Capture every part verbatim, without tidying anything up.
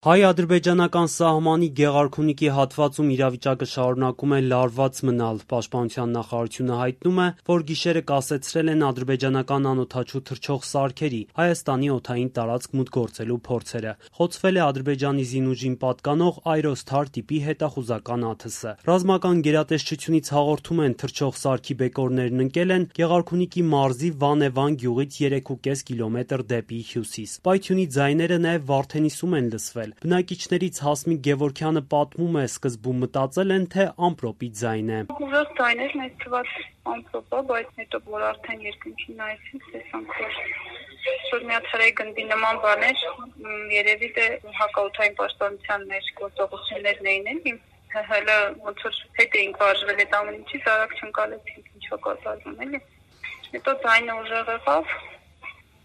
Հայ-ադրբեջանական սահմանի Գեղարքունիքի հատվածում իրավիճակը շարունակում է լարված մնալ։ Պաշտպանության նախարարությունը հայտնում է, որ գիշերը կասեցրել են ադրբեջանական անօդաչու թռչող սարքերի Հայաստանի օդային տարածք մուտք գործելու փորձերը։ Խոցվել է Ադրբեջանի զինուժին պատկանող Այրոստար տիպի հետախուզական աթսը։ Ռազմական գերատեսչությունից հաղորդում են, թռչող սարքի բեկորներն ընկել են Գեղարքունիքի մարզի Վանեվան գյուղից երեք ու կես կիլոմետր դեպի հյուսիս։ Պայթյունի ձայները նաև Վարդենիսում են լսվել։ Բնակիչներից Հասմիկ Գևորգյանը պատմում է, սկզբում մտածել են, թե ամպրոպի ձայն է։ Ուժեղ ձայներ մեծ թվաց ամպրոպ է, բայց հետո որ արդեն երկնքին նայեցինք, տեսանք, որ մի հատ հրեի գնդի նման բաներ, երևի թե հակաօդային պաշտպանության մեր գործողություններն էին էլի, հələ ոնց որ հետ էինք վարժվել այդ ամեն ինչից, արագ չընկալեցինք ինչ է կատարվում էլի։ Հետո ձայնը ուժեղ եղավ,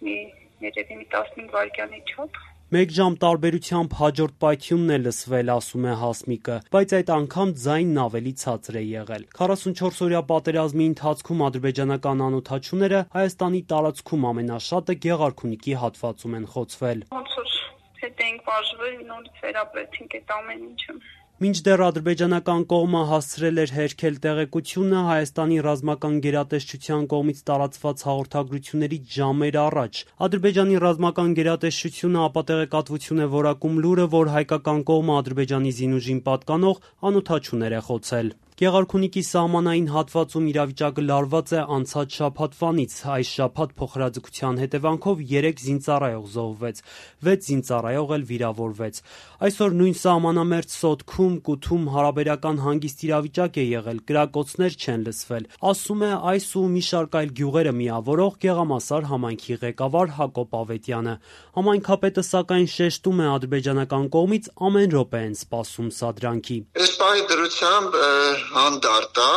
մի երևի մի տասնհինգ վայրկյանի չափ։ Մեկ ժամ տարբերությամբ հաջորդ պայթյունն է լսվել, ասում է Հասմիկը, բայց այդ անգամ ձայնն ավելի ցածր է եղել։ քառասունչորս օրյա պատերազմի ընթացքում ադրբեջանական անօդաչուները Հայաստանի տարածքում ամենաշատը Գեղարքունիքի հատվածում են խոցվել։ Ոնց որ հետ էինք վարժվել, նորից վերապրեցինք այդ ամեն ինչը։ Մինչդեռ ադրբեջանական կողմը հասցրել էր հերքել տեղեկությունը, Հայաստանի ռազմական գերատեսչության կողմից տարածված հաղորդագրություններից ժամեր առաջ Ադրբեջանի ռազմական գերատեսչությունը ապատեղեկատվություն է որակում լուրը, որ հայկական կողմը Ադրբեջանի զինուժին պատկանող անօդաչուներ է խոցել։ Գեղարքունիքի սահմանային հատվածում իրավիճակը լարված է անցած շաբաթվանից։ Այս շաբաթ փոխհրաձգության հետևանքով երեք զինծառայող զոհվեց, վեց զինծառայող էլ վիրավորվեց։ Այսօր նույն սահմանամերձ Սոտքում, Կութում հարաբերական հանգիստ իրավիճակ է եղել, կրակոցներ չեն լսվել, ասում է այս ու մի շարք այլ գյուղերը միավորող Գեղամասար համայնքի ղեկավար Հակոբ Ավետյանը։ Համայնքապետը սակայն շեշտում է, ադրբեջանական կողմից ամեն րոպե են սպասում սադրանքի։ Այս պահի դրությամբ հանդարտ է,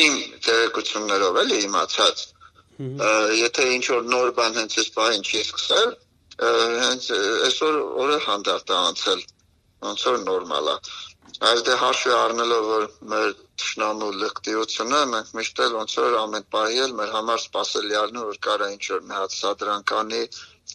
իմ տեղեկություններով էլի իմացած, եթե ինչ-որ նոր բան հենց այս պահին չի սկսել, հենց այսօր օրը հանդարտ է անցել, ոնց որ նորմալ է։ Այս դե հաշվի առնելով, որ մեր թշնամու լկտիությունը, մենք միշտ էլ ոնց որ ամեն պահի էլ մեր համար սպասելի առնում, որ կարա ինչ-որ մի հատ սադրանկանի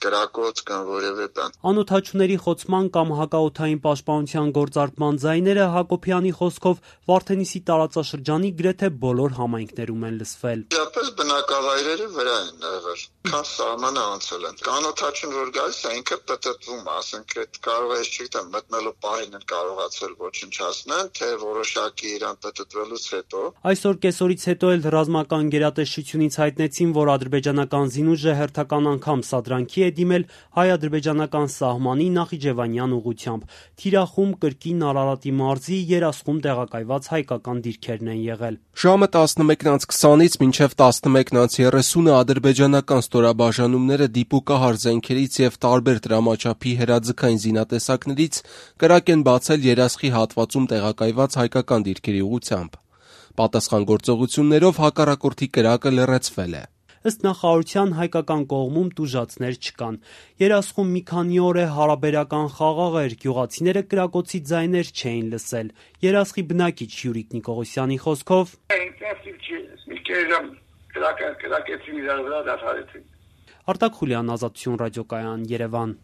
կրակոց կամ որևէ բան։ Անօդաչուների խոցման կամ հակաօդային պաշտպանության գործարկման ձայները Հակոբյանի խոսքով Վարդենիսի տարածաշրջանի գրեթե բոլոր համայնքներում են լսվել։ Իապես բնակավայրերի վրա են եղել, քան սահմանը անցել են։ Անօդաչուն որ գալիս է, ինքը պտտվում, ասենք այդ կարող է, չգիտեմ, մտնելու պահին են կարողացել ոչնչացնել, թե որոշակի իրան պտտվելուց հետո։ Այսօր կեսօրից հետո էլ ռազմական գերատեսչությունից հայտնեցին, որ ադրբեջանական զինուժը հերթական անգամ սադրանքի է դիմել հայ-ադրբեջանական սահմանի Նախիջևանյան ուղղությամբ։ Թիրախում, Կրկին, Արարատի մարզի, Երասխում տեղակայված հայկական դիրքերն են եղել։ Ժամը տասնմեկն անց քսանից մինչև տասնմեկն անց երեսունը ադրբեջանական ստորաբաժանումները դիպուկահար զենքերից եւ տարբեր դրամաչափի հրաձգային զինատեսակներից կրակ են բացել Երասխի հատվածում տեղակայված հայկական դիրքերի ուղղությամբ։ Պատասխան գործողություններով հակառակորդի կրակը լռեցվել է։ Ըստ նախարարության հայկական կողմում տուժածներ չկան։ Երասխում մի քանի օր է հարաբերական խաղաղ էր, գյուղացիները կրակոցի ձայներ չէին լսել։ Երասխի բնակիչ Յուրիկ Նիկողոսյանի խոսքով Արտակ Խուլյան, Ազատություն ռադիոկայան, Երևան։